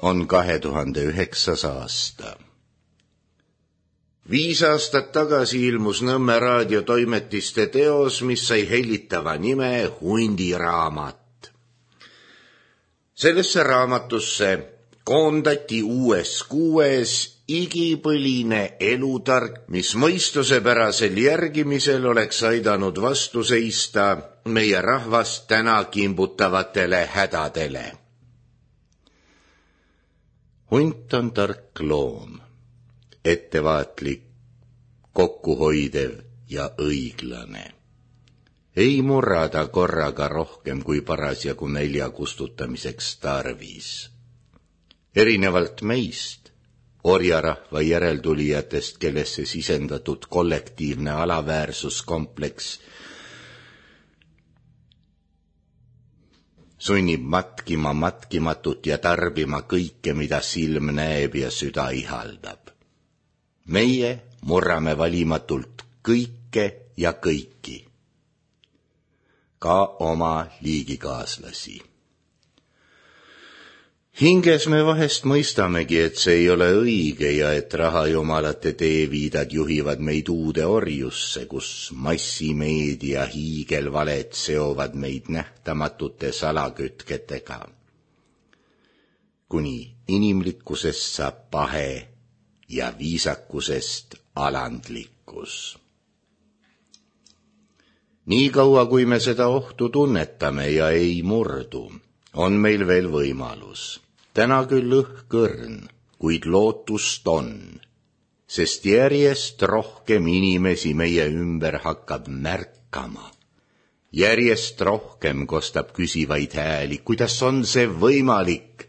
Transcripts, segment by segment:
on 2009. aasta. 5 aastat tagasi ilmus Nõmme raadiotoimetiste teos, mis sai hellitava nime Hundiraamat. Sellesse raamatusse koondati 6 igipõline elutark, mis mõistusepärasel järgimisel oleks aidanud vastu seista meie rahvast täna kimbutavatele hädadele. Hunt on tark loom, ettevaatlik, kokkuhoidev ja õiglane. Ei murrada korraga rohkem kui parasjagu nälja kustutamiseks tarvis. Erinevalt meist, orjarahva järeltulijatest, kellesse sisendatud kollektiivne alaväärsuskompleks sunnib matkima matkimatut ja tarbima kõike, mida silm näeb ja süda ihaldab. Meie murrame valimatult kõike ja kõiki, ka oma liigikaaslasi. Hinges me vahest mõistamegi, et see ei ole õige ja et rahajumalate teeviidad juhivad meid uude orjusse, kus massimeedia hiigelvaled seovad meid nähtamatute salakütketega. Kuni inimlikkusest saab pahe ja viisakusest alandlikkus. Nii kaua, kui me seda ohtu tunnetame ja ei murdu, on meil veel võimalus. Täna küll õhkõrn, kuid lootust on, sest järjest rohkem inimesi meie ümber hakkab märkama. Järjest rohkem kostab küsivaid hääli, kuidas on see võimalik,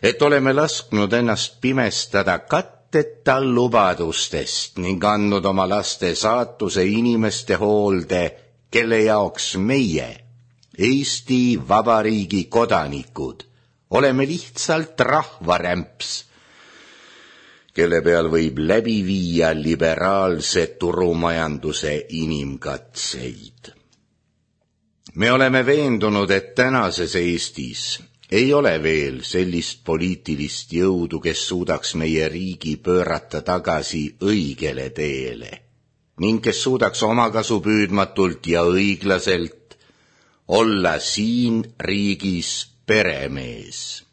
et oleme lasknud ennast pimestada katteta lubadustest ning andnud oma laste saatuse inimeste hoolde, kelle jaoks meie, Eesti Vabariigi kodanikud, oleme lihtsalt rahvarämps, kelle peal võib läbi viia liberaalse turumajanduse inimkatseid. Me oleme veendunud, et tänases Eestis ei ole veel sellist poliitilist jõudu, kes suudaks meie riigi pöörata tagasi õigele teele ning kes suudaks omakasupüüdmatult ja õiglaselt olla siin riigis peremees.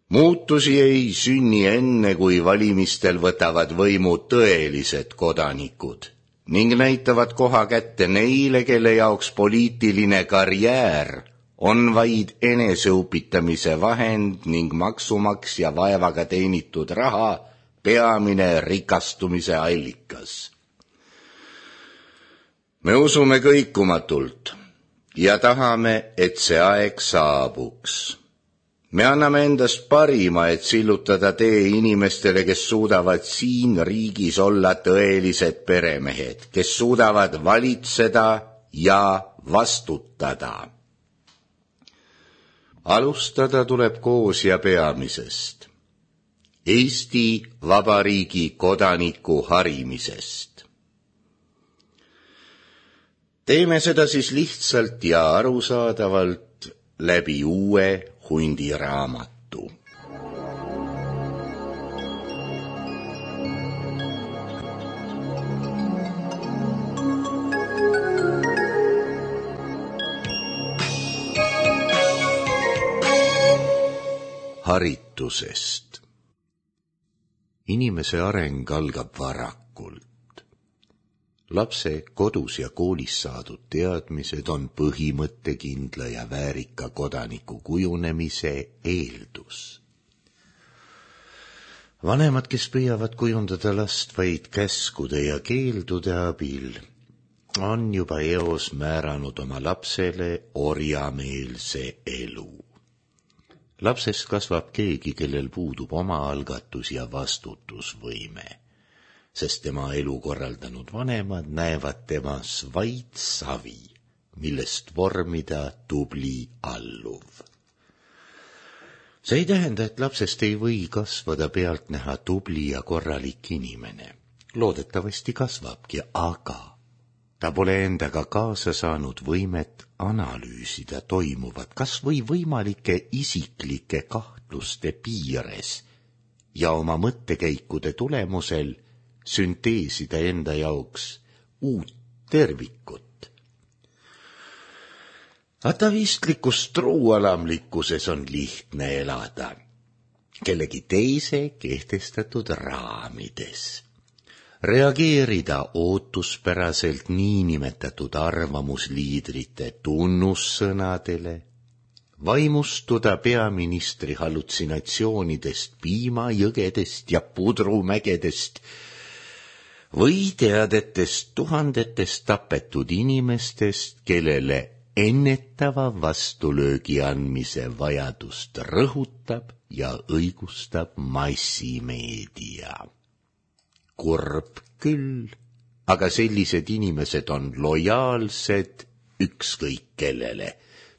Muutusi ei sünni enne, kui valimistel võtavad võimu tõelised kodanikud ning näitavad koha kätte neile, kelle jaoks poliitiline karjäär on vaid eneseupitamise vahend ning maksumaksja vaevaga teenitud raha peamine rikastumise allikas. Me usume kõikumatult ja tahame, et see aeg saabuks. Me anname endast parima, et sillutada tee inimestele, kes suudavad siin riigis olla tõelised peremehed, kes suudavad valitseda ja vastutada. Alustada tuleb koos ja peamisest, Eesti Vabariigi kodaniku harimisest. Teeme seda siis lihtsalt ja arusaadavalt läbi uue Hundiraamatu. Haritusest. Inimese areng algab varakult. Lapse kodus ja koolis saadud teadmised on põhimõttekindla ja väärika kodaniku kujunemise eeldus. Vanemad, kes püüavad kujundada last vaid käskude ja keeldude abil, on juba eos määranud oma lapsele orjameelse elu. Lapsest kasvab keegi, kellel puudub oma algatus ja vastutusvõime, sest tema elu korraldanud vanemad näevad temas vaid savi, millest vormida tubli alluv. See ei tähenda, et lapsest ei või kasvada pealtnäha tubli ja korralik inimene. Loodetavasti kasvabki, aga ta pole endaga kaasa saanud võimet analüüsida toimuvat kas või võimalike isiklike kahtluste piires ja oma mõttekäikude tulemusel sünteesida enda jaoks uut tervikut. Atavistlikus truualamlikkuses on lihtne elada kellegi teise kehtestatud raamides. Reageerida ootuspäraselt niinimetatud arvamusliidrite tunnussõnadele, vaimustuda peaministri hallutsinatsioonidest, piimajõgedest ja pudrumägedest või teadetest tuhandetest tapetud inimestest, kellele ennetava vastulöögi andmise vajadust rõhutab ja õigustab massimeedia. Kurb küll, aga sellised inimesed on lojaalsed ükskõik kellele,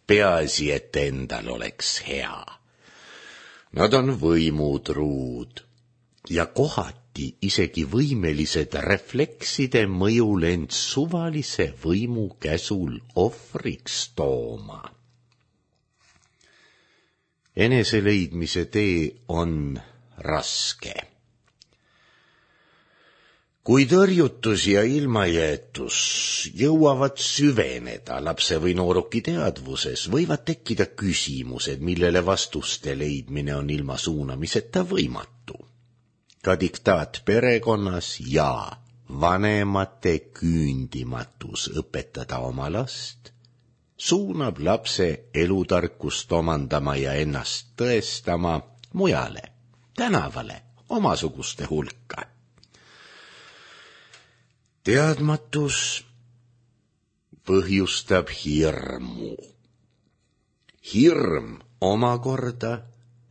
peaasi, et endal oleks hea. Nad on võimutruud ja kohati isegi võimelised reflekside mõjul end suvalise võimu käsul ohvriks tooma. Eneseleidmise tee on raske. Kui tõrjutus ja ilmajäetus jõuavad süveneda lapse või nooruki teadvuses, võivad tekkida küsimused, millele vastuste leidmine on ilma suunamiseta võimatu. Ka diktaat perekonnas ja vanemate küündimatus õpetada oma last suunab lapse elutarkust omandama ja ennast tõestama mujale, tänavale, omasuguste hulka. Teadmatus põhjustab hirmu. Hirm omakorda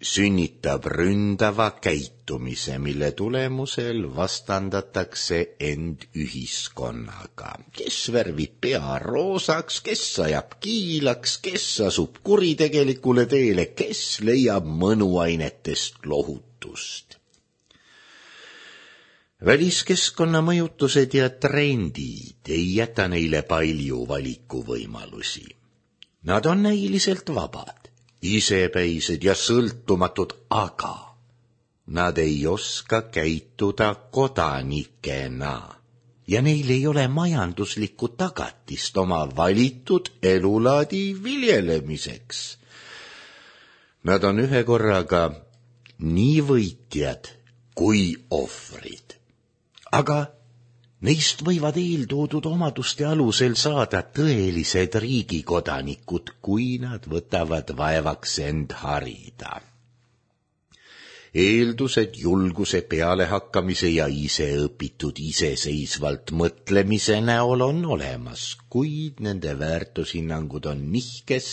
sünnitab ründava käitumise, mille tulemusel vastandatakse end ühiskonnaga. Kes värvib pea roosaks, kes ajab kiilaks, kes asub kuritegelikule teele, kes leiab mõnuainetest lohutust. Väliskeskkonna mõjutused ja trendid ei jäta neile palju valikuvõimalusi. Nad on näiliselt vabad, isepäised ja sõltumatud, aga nad ei oska käituda kodanikena ja neil ei ole majanduslikku tagatist oma valitud elulaadi viljelemiseks. Nad on ühekorraga nii võitjad kui ohvrid. Aga neist võivad eeltoodud omaduste alusel saada tõelised riigikodanikud, kui nad võtavad vaevaks end harida. Eeldused julguse pealehakkamise ja iseõpitud iseseisvalt mõtlemise näol on olemas, kuid nende väärtushinnangud on nihkes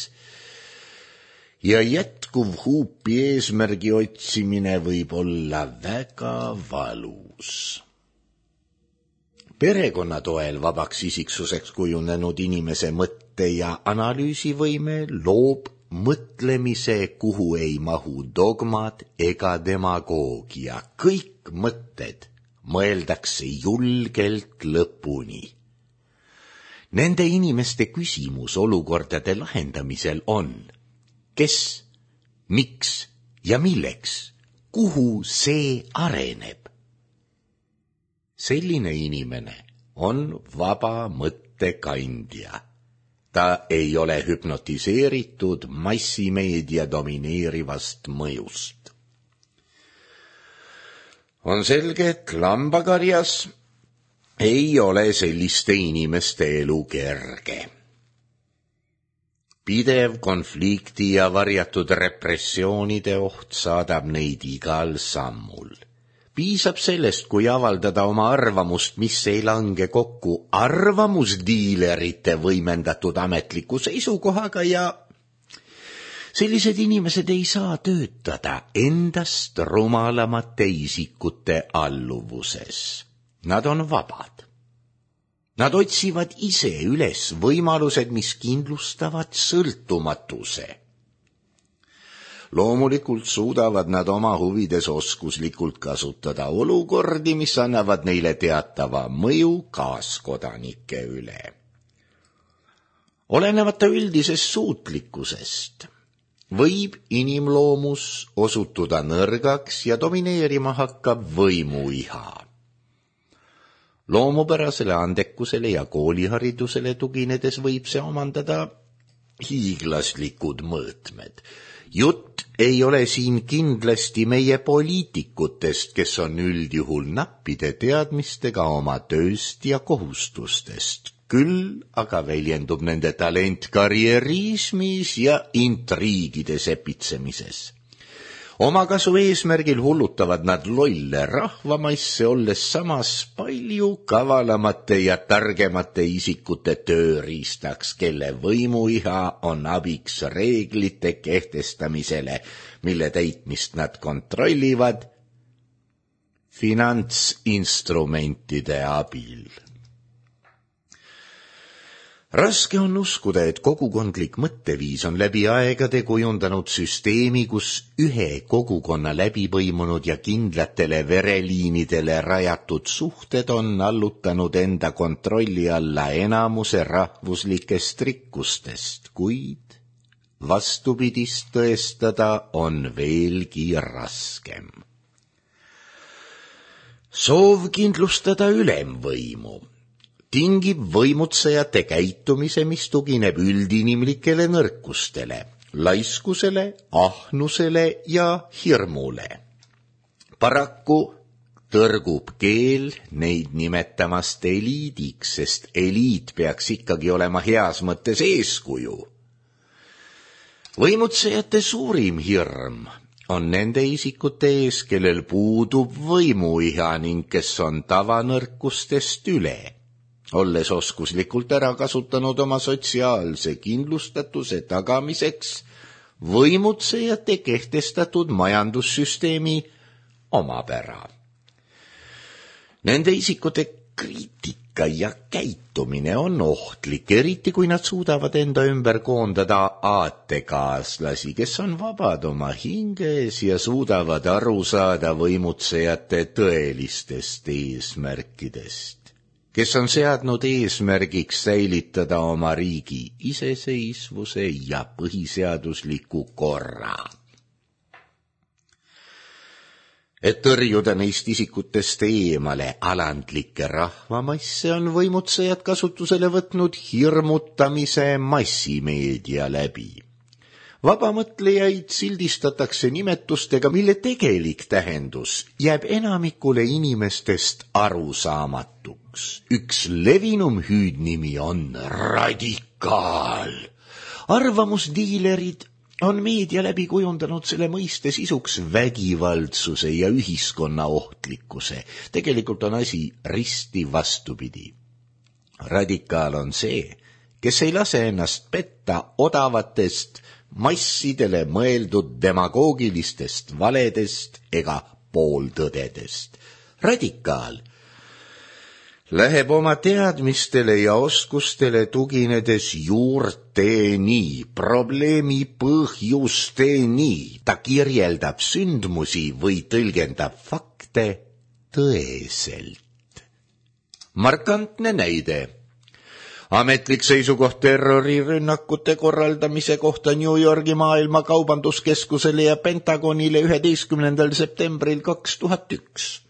ja jätkuv huupi eesmärgi otsimine võib olla väga valus. Perekonna toel vabaks isiksuseks kujunenud inimese mõtte- ja analüüsivõime loob mõtlemise, kuhu ei mahu dogmad ega demagoogia. Kõik mõtted mõeldakse julgelt lõpuni. Nende inimeste küsimus olukordade lahendamisel on, kes, miks ja milleks, kuhu see areneb. Selline inimene on vaba mõttekandja. Ta ei ole hüpnotiseeritud massimeedia domineerivast mõjust. On selge, et lambakarjas ei ole selliste inimeste elu kerge. Pidev konflikti ja varjatud repressioonide oht saadab neid igal sammul. Piisab sellest, kui avaldada oma arvamust, mis ei lange kokku arvamusdiilerite võimendatud ametliku seisukohaga ja sellised inimesed ei saa töötada endast rumalamate isikute alluvuses. Nad on vabad. Nad otsivad ise üles võimalused, mis kindlustavad sõltumatuse. Loomulikult suudavad nad oma huvides oskuslikult kasutada olukordi, mis annavad neile teatava mõju kaaskodanike üle. Olenemata üldisest suutlikkusest võib inimloomus osutuda nõrgaks ja domineerima hakkab võimuiha. Loomupärasele andekusele ja kooliharidusele tuginedes võib see omandada hiiglaslikud mõõtmed. Jutt ei ole siin kindlasti meie poliitikutest, kes on üldjuhul nappide teadmistega oma tööst ja kohustustest. Küll aga väljendub nende talent karjeriismis ja intriigide sepitsemises. Omakasu eesmärgil hullutavad nad lolle rahvamaisse, olles samas palju kavalamate ja targemate isikute tööriistaks, kelle võimuiha on abiks reeglite kehtestamisele, mille täitmist nad kontrollivad finantsinstrumentide abil. Raske on uskuda, et kogukondlik mõtteviis on läbi aegade kujundanud süsteemi, kus ühe kogukonna läbipõimunud ja kindlatele vereliinidele rajatud suhted on allutanud enda kontrolli alla enamuse rahvuslikest rikkustest, kuid vastupidist tõestada on veelgi raskem. Soov kindlustada ülemvõimu tingib võimutsejate käitumise, mis tugineb üldinimlikele nõrkustele, laiskusele, ahnusele ja hirmule. Paraku tõrgub keel neid nimetamast eliidiks, sest eliit peaks ikkagi olema heas mõttes eeskuju. Võimutsejate suurim hirm on nende isikute ees, kellel puudub võimuiha ning kes on tavanõrkustest üle, olles oskuslikult ära kasutanud oma sotsiaalse kindlustatuse tagamiseks võimutsejate kehtestatud majandussüsteemi omapära. Nende isikute kriitika ja käitumine on ohtlik, eriti kui nad suudavad enda ümber koondada aatekaaslasi, kes on vabad oma hinges ja suudavad aru saada võimutsejate tõelistest eesmärkidest, kes on seadnud eesmärgiks säilitada oma riigi iseseisvuse ja põhiseadusliku korra. Et tõrjuda neist isikutest eemale alandlikke rahvamasse, on võimutsejad kasutusele võtnud hirmutamise massimeedia läbi. Vabamõtlejaid sildistatakse nimetustega, mille tegelik tähendus jääb enamikule inimestest arusaamatuks. Üks levinum hüüdnimi on radikaal. Arvamusdiilerid on meedia läbi kujundanud selle mõiste sisuks vägivaldsuse ja ühiskonna ohtlikkuse. Tegelikult on asi risti vastupidi. Radikaal on see, kes ei lase ennast petta odavatest massidele mõeldud demagoogilistest valedest ega pooltõdedest. Radikaal läheb oma teadmistele ja oskustele tuginedes juurteni, probleemi põhjusteni. Ta kirjeldab sündmusi või tõlgendab fakte tõeselt. Markantne näide. Ametlik seisukoht terrorirünnakute korraldamise kohta New Yorgi maailma kaubanduskeskusele ja Pentagonile 11. septembril 2001.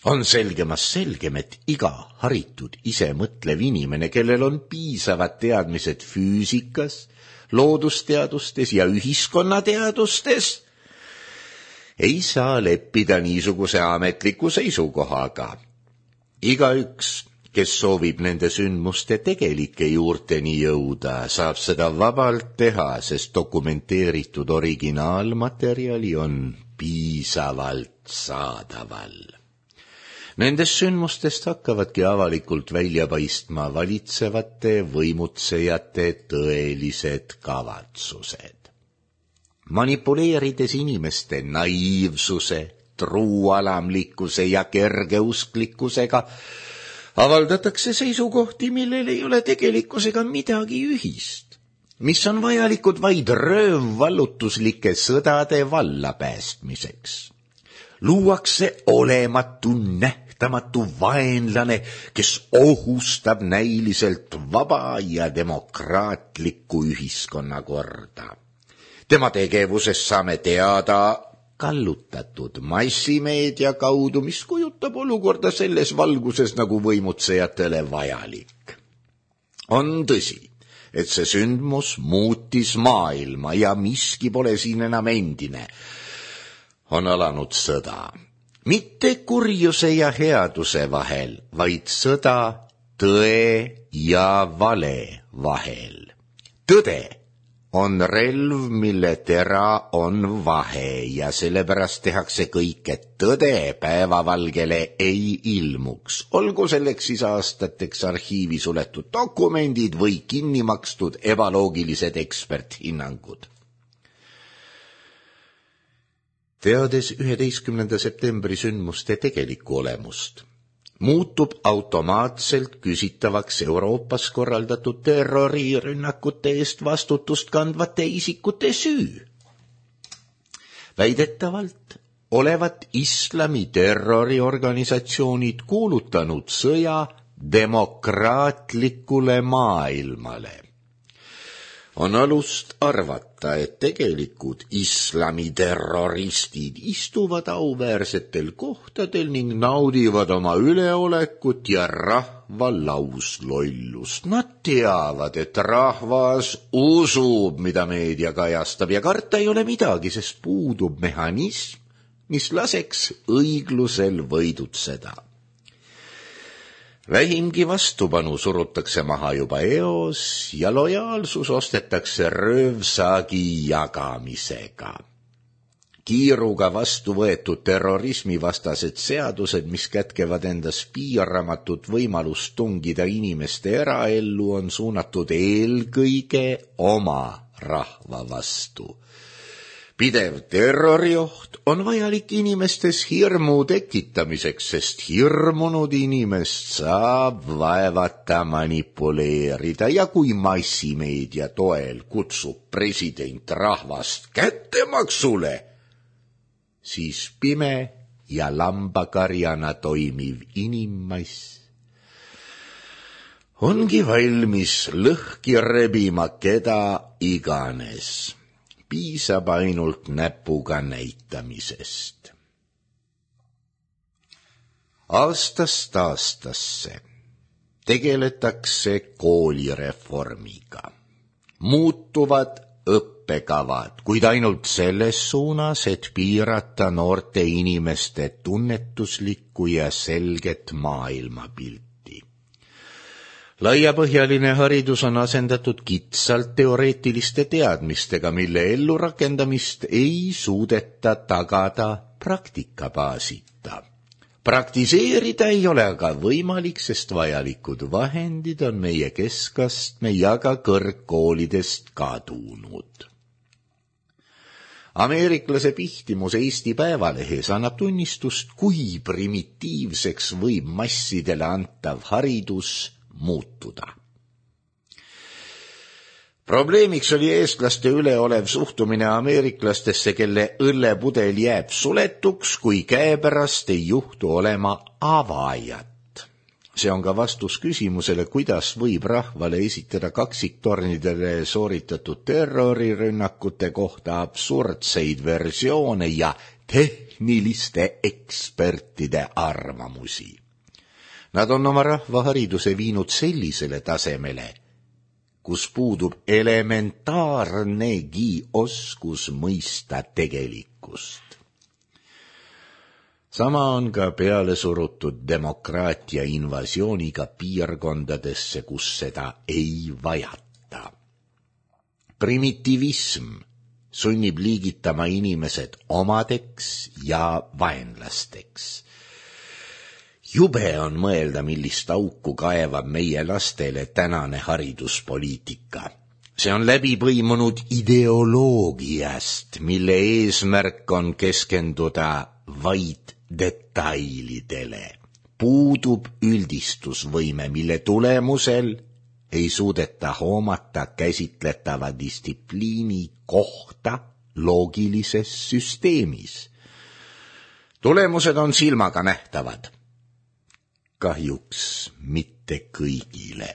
On selgemast selgem, et iga haritud isemõtlev inimene, kellel on piisavad teadmised füüsikas, loodusteadustes ja ühiskonnateadustes, ei saa leppida niisuguse ametliku seisukohaga. Igaüks, kes soovib nende sündmuste tegelike juurteni jõuda, saab seda vabalt teha, sest dokumenteeritud originaalmaterjali on piisavalt saadaval. Nendest sündmustest hakkavadki avalikult välja paistma valitsevate võimutsejate tõelised kavatsused. Manipuleerides inimeste naiivsuse, truualamlikkuse ja kergeusklikkusega avaldatakse seisukohti, millel ei ole tegelikkusega midagi ühist, mis on vajalikud vaid röövvallutuslike sõdade vallapäästmiseks. Luuakse olematu nähtus nähtamatu vaenlane, kes ohustab näiliselt vaba ja demokraatlikku ühiskonnakorda. Tema tegevusest saame teada kallutatud massimeedia kaudu, mis kujutab olukorda selles valguses nagu võimutsejatele vajalik. On tõsi, et see sündmus muutis maailma ja miski pole siin enam endine. On alanud sõda. Mitte kurjuse ja headuse vahel, vaid sõda tõe ja vale vahel. Tõde on relv, mille tera on vahe ja sellepärast tehakse kõik, et tõde päevavalgele ei ilmuks. Olgu selleks siis aastateks arhiivi suletud dokumendid või kinni makstud ebaloogilised eksperthinnangud. Teades 11. septembri sündmuste tegelikku olemust, muutub automaatselt küsitavaks Euroopas korraldatud terrorirünnakute eest vastutust kandvate isikute süü. Väidetavalt olevat islami terroriorganisatsioonid kuulutanud sõja demokraatlikule maailmale. On alust arvata, et tegelikud islami terroristid istuvad auväärsetel kohtadel ning naudivad oma üleolekut ja rahva lauslollust. Nad teavad, et rahvas usub, mida meedia kajastab ja karta ei ole midagi, sest puudub mehhanism, mis laseks õiglusel võidutseda. Vähimgi vastupanu surutakse maha juba eos ja lojaalsus ostetakse röövsaagi jagamisega. Kiiruga vastu võetud terrorismivastased seadused, mis kätkevad endas piiramatut võimalust tungida inimeste eraellu, on suunatud eelkõige oma rahva vastu. Pidev terrorioht on vajalik inimestes hirmu tekitamiseks, sest hirmunud inimest saab vaevata manipuleerida ja kui massimeedia toel kutsub president rahvast kättemaksule, siis pime ja lambakarjana toimiv inimmass ongi valmis lõhki rebima keda iganes. Piisab ainult näpuga näitamisest. Aastast aastasse tegeletakse koolireformiga. Muutuvad õppekavad, kuid ainult selles suunas, et piirata noorte inimeste tunnetuslikku ja selget maailmapilti. Laiapõhjaline haridus on asendatud kitsalt teoreetiliste teadmistega, mille ellurakendamist ei suudeta tagada praktikabaasita. Praktiseerida ei ole aga võimalik, sest vajalikud vahendid on meie keskastme ja ka kõrgkoolidest kadunud. Ameeriklase pihtimus Eesti Päevalehes annab tunnistust, kui primitiivseks võib massidele antav haridus muutuda. Probleemiks oli eestlaste üleolev suhtumine ameeriklastesse, kelle õllepudel jääb suletuks, kui käepärast ei juhtu olema avajat. See on ka vastus küsimusele, kuidas võib rahvale esitada kaksiktornidele sooritatud terrorirünnakute kohta absurdseid versioone ja tehniliste ekspertide arvamusi. Nad on oma rahvahariduse viinud sellisele tasemele, kus puudub elementaarnegi oskus mõista tegelikkust. Sama on ka peale surutud demokraatia invasiooniga piirkondadesse, kus seda ei vajata. Primitivism sunnib liigitama inimesed omadeks ja vaenlasteks. Jube on mõelda, millist auku kaevab meie lastele tänane hariduspoliitika. See on läbi põimunud ideoloogiast, mille eesmärk on keskenduda vaid detailidele. Puudub üldistusvõime, mille tulemusel ei suudeta hoomata käsitletava distsipliini kohta loogilises süsteemis. Tulemused on silmaga nähtavad. kahjuks mitte kõigile.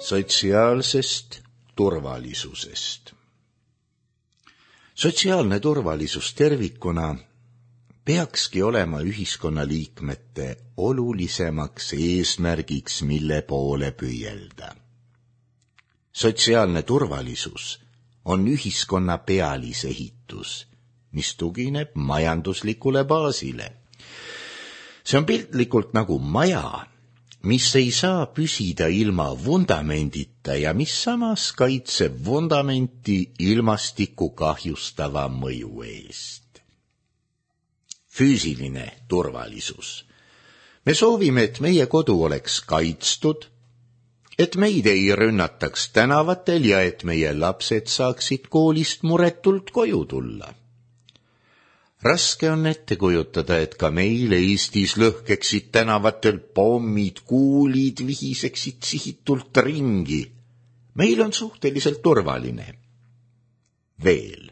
Sotsiaalsest turvalisusest. Sotsiaalne turvalisus tervikuna peakski olema ühiskonnaliikmete olulisemaks eesmärgiks, mille poole püüelda. Sotsiaalne turvalisus on ühiskonna pealisehitus, mis tugineb majanduslikule baasile. See on piltlikult nagu maja, mis ei saa püsida ilma vundamendita ja mis samas kaitseb vundamenti ilmastikku kahjustava mõju eest. Füüsiline turvalisus. Me soovime, et meie kodu oleks kaitstud, et meid ei rünnataks tänavatel ja et meie lapsed saaksid koolist muretult koju tulla. Raske on ette kujutada, et ka meil Eestis lõhkeksid tänavatel pommid, kuulid vihiseksid sihitult ringi. Meil on suhteliselt turvaline. Veel.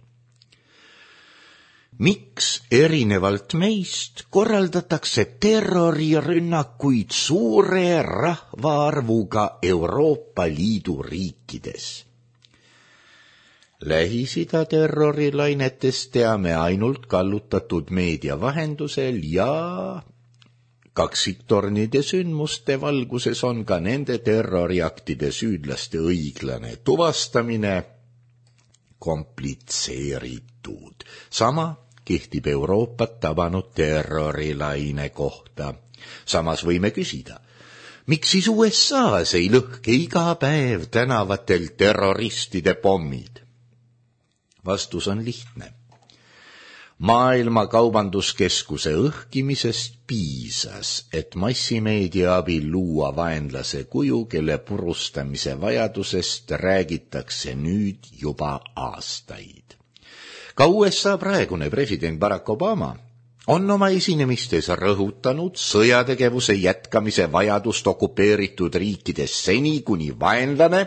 Miks erinevalt meist korraldatakse terrorirünnakuid suure rahvaarvuga Euroopa Liidu riikides? Lähis-Ida terrorilainetest teame ainult kallutatud meedia vahendusel ja kaksiktornide sündmuste valguses on ka nende terroriaktide süüdlaste õiglane tuvastamine komplitseeritud. Sama kehtib Euroopat tabanud terrorilaine kohta. Samas võime küsida, miks siis USA-s ei lõhke iga päev tänavatel terroristide pommid? Vastus on lihtne. Maailma Kaubanduskeskuse õhkimisest piisas, et massimeedia abil luua vaenlase kuju, kelle purustamise vajadusest räägitakse nüüd juba aastaid. Ka USA praegune president Barack Obama on oma esinemistes rõhutanud sõjategevuse jätkamise vajadust okupeeritud riikides seni, kuni vaenlane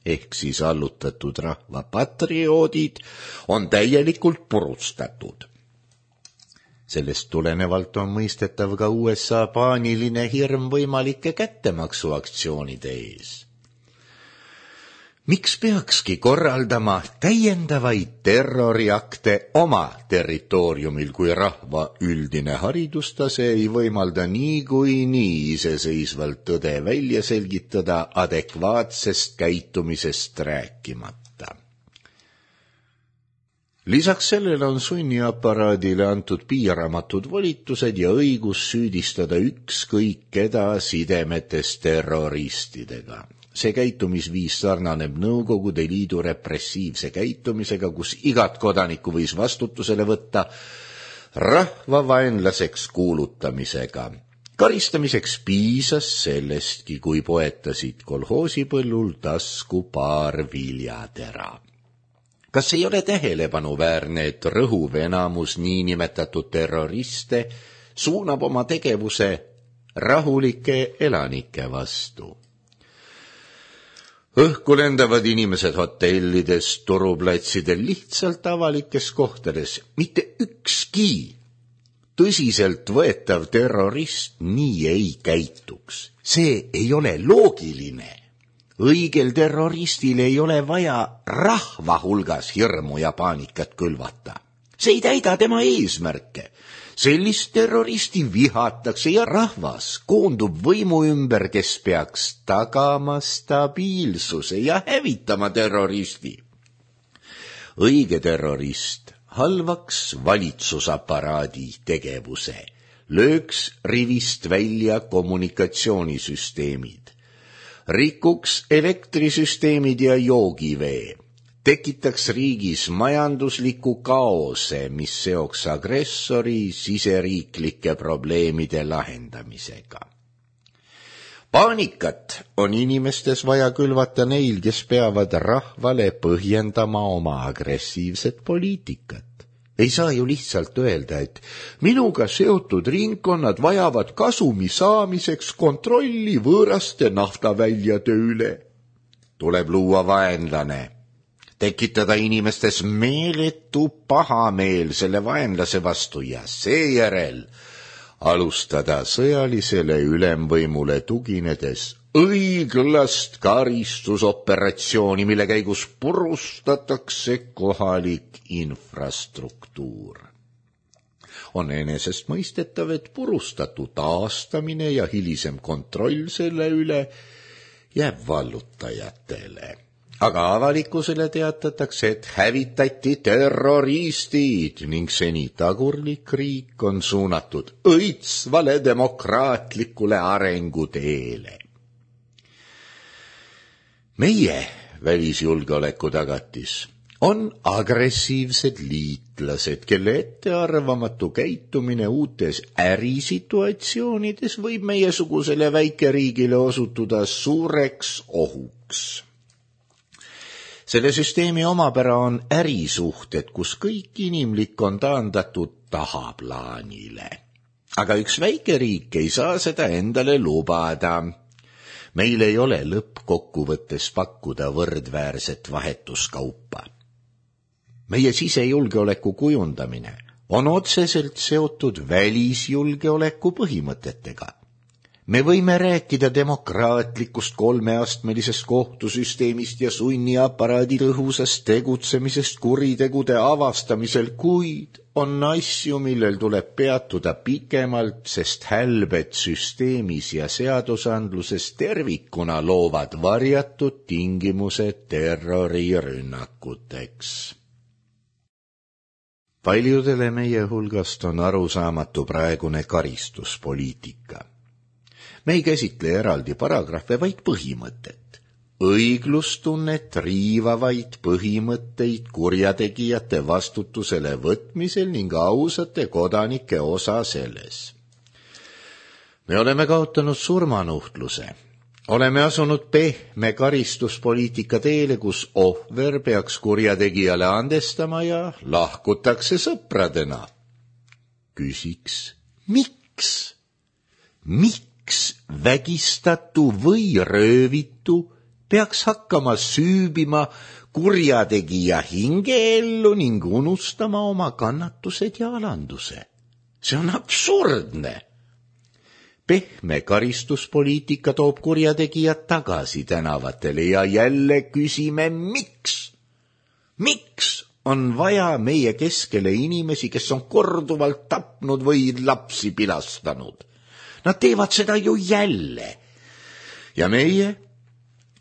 ehk siis allutatud rahva patrioodid on täielikult purustatud. Sellest tulenevalt on mõistetav ka USA paaniline hirm võimalike kättemaksuaktsioonide ees. Miks peakski korraldama täiendavaid terroriakte oma territooriumil, kui rahva üldine haridustase ei võimalda niikuinii iseseisvalt tõde välja selgitada, adekvaatsest käitumisest rääkimata? Lisaks sellele on sunniaparaadile antud piiramatud volitused ja õigus süüdistada ükskõik keda sidemetes terroristidega. See käitumisviis sarnaneb Nõukogude Liidu repressiivse käitumisega, kus igat kodanikku võis vastutusele võtta rahvavaenlaseks kuulutamisega. Karistamiseks piisas sellestki, kui poetasid kolhoosipõllul tasku paar viljatera. Kas ei ole tähelepanuväärne, et rõhuv enamus niinimetatud terroriste suunab oma tegevuse rahulike elanike vastu? Õhku lendavad inimesed hotellides, turuplatsidel, lihtsalt avalikes kohtades. Mitte ükski tõsiselt võetav terrorist nii ei käituks. See ei ole loogiline. Õigel terroristil ei ole vaja rahva hulgas hirmu ja paanikat külvata. See ei täida tema eesmärke. Sellist terroristi vihatakse ja rahvas koondub võimu ümber, kes peaks tagama stabiilsuse ja hävitama terroristi. Õige terrorist halvaks valitsusaparaadi tegevuse, lööks rivist välja kommunikatsioonisüsteemid, rikuks elektrisüsteemid ja joogivee, tekitaks riigis majandusliku kaose, mis seoks agressori siseriiklike probleemide lahendamisega. Paanikat on inimestes vaja külvata neil, kes peavad rahvale põhjendama oma agressiivset poliitikat. Ei saa ju lihtsalt öelda, et minuga seotud ringkonnad vajavad kasumi saamiseks kontrolli võõraste naftaväljade üle. Tuleb luua vaenlane, tekitada inimestes meeletu pahameel selle vaenlase vastu ja seejärel alustada sõjalisele ülemvõimule tuginedes õiglast karistusoperatsiooni, mille käigus purustatakse kohalik infrastruktuur. On enesestmõistetav, et purustatu taastamine ja hilisem kontroll selle üle jääb vallutajatele. Aga avalikkusele teatatakse, et hävitati terroristid ning seni tagurlik riik on suunatud õitsvale demokraatlikule arenguteele. Meie välisjulgeoleku tagatis on agressiivsed liitlased, kelle ettearvamatu käitumine uutes ärisituatsioonides võib meiesugusele väikeriigile osutuda suureks ohuks. Selle süsteemi omapära on ärisuhted, kus kõik inimlik on taandatud tahaplaanile. Aga üks väikeriik ei saa seda endale lubada. Meil ei ole lõppkokkuvõttes pakkuda võrdväärset vahetuskaupa. Meie sisejulgeoleku kujundamine on otseselt seotud välisjulgeoleku põhimõtetega. Me võime rääkida demokraatlikust kolmeastmelisest kohtusüsteemist ja sunniaparaadi tõhusast tegutsemisest kuritegude avastamisel, kuid on asju, millel tuleb peatuda pikemalt, sest hälbed süsteemis ja seadusandluses tervikuna loovad varjatud tingimused terrorirünnakuteks. Paljudele meie hulgast on arusaamatu praegune karistuspoliitika. Me ei käsitle eraldi paragrahve, vaid põhimõtet. Õiglustunnet riivavaid põhimõtteid kurjategijate vastutusele võtmisel ning ausate kodanike osa selles. Me oleme kaotanud surmanuhtluse. Oleme asunud pehme karistuspoliitika teele, kus ohver peaks kurjategijale andestama ja lahkutakse sõpradena. Küsiks, miks? Miks vägistatu või röövitu peaks hakkama süübima kurjategija hingeellu ning unustama oma kannatused ja alanduse? See on absurdne. Pehme karistuspoliitika toob kurjategijad tagasi tänavatele ja jälle küsime, miks? Miks on vaja meie keskele inimesi, kes on korduvalt tapnud või lapsi pilastanud? Nad teevad seda ju jälle. Ja meie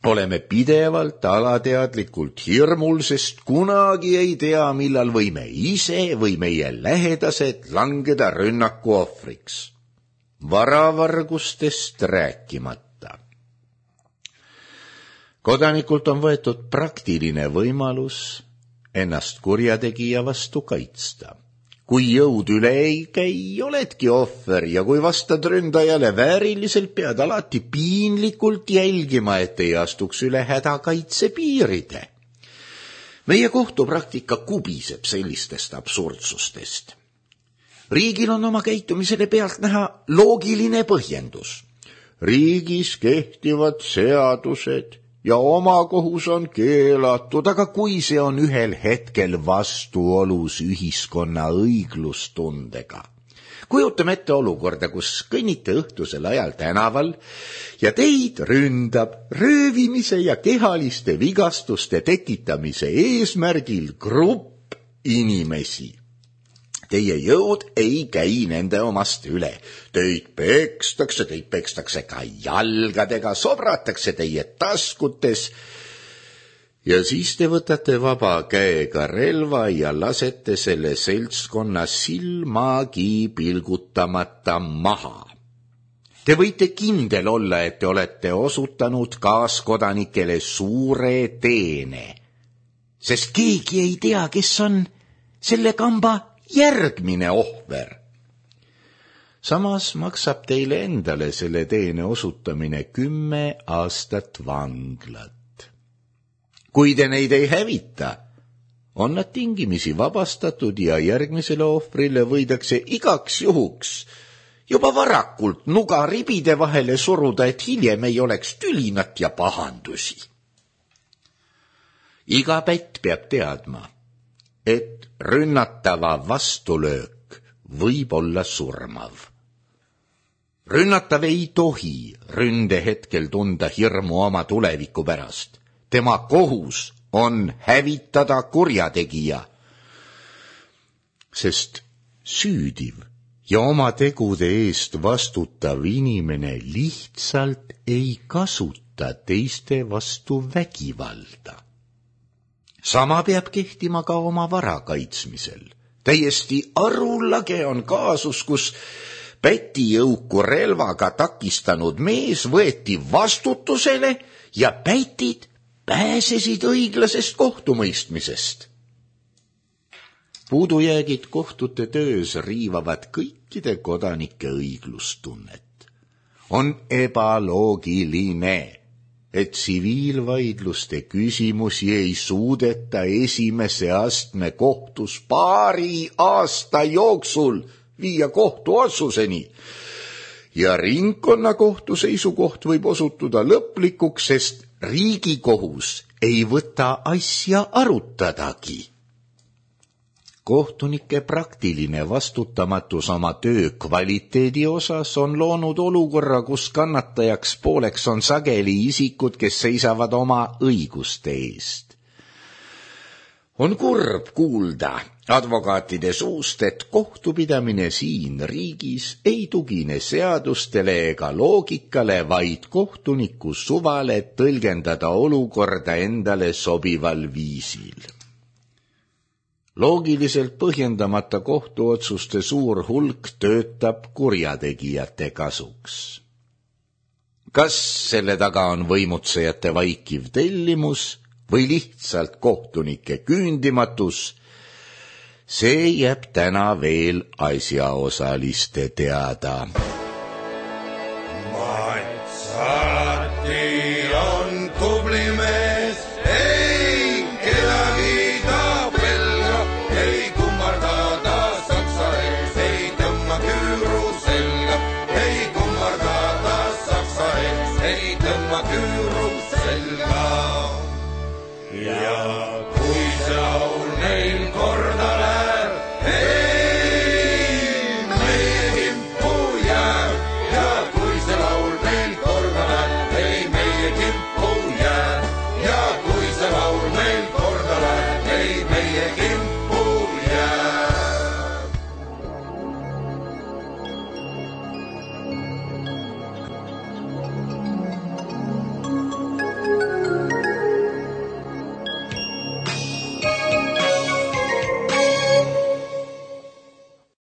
oleme pidevalt alateadlikult hirmul, sest kunagi ei tea, millal võime ise või meie lähedased langeda rünnaku ohvriks. Varavargustest rääkimata. Kodanikult on võetud praktiline võimalus ennast kurjategija vastu kaitsta. Kui jõud üle ei käi, oledki ohver ja kui vastad ründajale vääriliselt, pead alati piinlikult jälgima, et ei astuks üle hädakaitse piiride. Meie kohtupraktika kubiseb sellistest absurdsustest. Riigil on oma käitumisele pealt näha loogiline põhjendus. Riigis kehtivad seadused ja omakohus on keelatud, aga kui see on ühel hetkel vastuolus ühiskonna õiglustundega. Kujutame ette olukorda, kus kõnnite õhtusel ajal tänaval ja teid ründab röövimise ja kehaliste vigastuste tekitamise eesmärgil grupp inimesi. Teie jõud ei käi nende omast üle. Teid pekstakse ka jalgadega, sobratakse teie taskutes ja siis te võtate vaba käega relva ja lasete selle seltskonna silmagi pilgutamata maha. Te võite kindel olla, et te olete osutanud kaaskodanikele suure teene, sest keegi ei tea, kes on selle kamba järgmine ohver. Samas maksab teile endale selle teene osutamine 10 aastat vanglat. Kui te neid ei hävita, on nad tingimisi vabastatud ja järgmisele ohvrile võidakse igaks juhuks juba varakult nuga ribide vahele suruda, et hiljem ei oleks tülinat ja pahandusi. Iga pätt peab teadma, et rünnatava vastulöök võib olla surmav. Rünnatav ei tohi ründe hetkel tunda hirmu oma tuleviku pärast. Tema kohus on hävitada kurjategija, sest süüdiv ja oma tegude eest vastutav inimene lihtsalt ei kasuta teiste vastu vägivalda. Sama peab kehtima ka oma vara kaitsmisel. Täiesti arulage on kaasus, kus pätijõuku relvaga takistanud mees võeti vastutusele ja pätid pääsesid õiglasest kohtumõistmisest. Puudujäägid kohtute töös riivavad kõikide kodanike õiglustunnet. On ebaloogiline, et tsiviilvaidluste küsimusi ei suudeta esimese astme kohtus paari aasta jooksul viia kohtuotsuseni ja ringkonnakohtu seisukoht võib osutuda lõplikuks, sest Riigikohus ei võta asja arutadagi. Kohtunike praktiline vastutamatus oma töö kvaliteedi osas on loonud olukorra, kus kannatajaks pooleks on sageli isikud, kes seisavad oma õiguste eest. On kurb kuulda advokaatide suust, et kohtupidamine siin riigis ei tugine seadustele ega loogikale, vaid kohtuniku suvale tõlgendada olukorda endale sobival viisil. Loogiliselt põhjendamata kohtuotsuste suur hulk töötab kurjategijate kasuks. Kas selle taga on võimutsejate vaikiv tellimus või lihtsalt kohtunike küündimatus, see jääb täna veel asjaosaliste teada. Mats alati on tubli mees, ei kedagi ta pelga, ei kummarda ta saksa ees, ei tõmma küüru selga, ei kummarda ta saksa ees, ei tõmma küüru selga. Ja kui sa